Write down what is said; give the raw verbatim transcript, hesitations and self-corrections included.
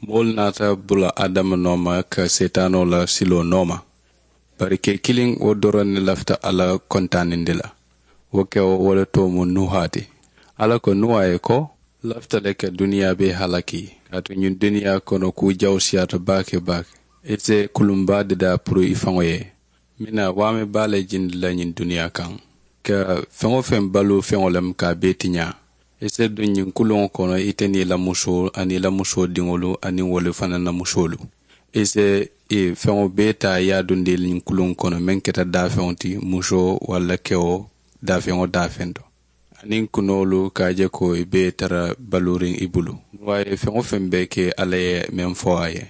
Moolu naata bula adama nooma ka seetaanoo la siloo nooma. Bari ke kiliŋ wo doroŋ ne lafita alla kontaanindi la. Wo kewo wo le too mu nuha ti. Alla ko nuha ye ko, lafita le ka duniyaa bee halaki. Kaatu ñiŋ duniyaa kono kuu jawsiyaata baake baake. I se kulumbaa dadaa puru i faŋo ye. Mina waame baa le jindi la ñiŋ duniyaa kaŋ, ka feŋ-wo-feŋ baluu feŋo lemu ka a bee tiñaa. I se duŋ ñiŋ kuluŋo kono, ite niŋ i la musoo aniŋ i la musoo diŋolu aniŋ wolu fanaŋ na musoolu. I se i feŋo bee taa i ye a dundi ñiŋ kuluŋo kono meŋ keta daafeŋo ti, musoo walla kewo, daafeŋo daafeŋ to. Aniŋ kunoolu ka a je ko i bee tara baluuriŋ i bulu. Nuwa ye feŋ-wo-feŋ bee ke alla ye meŋ fo a ye.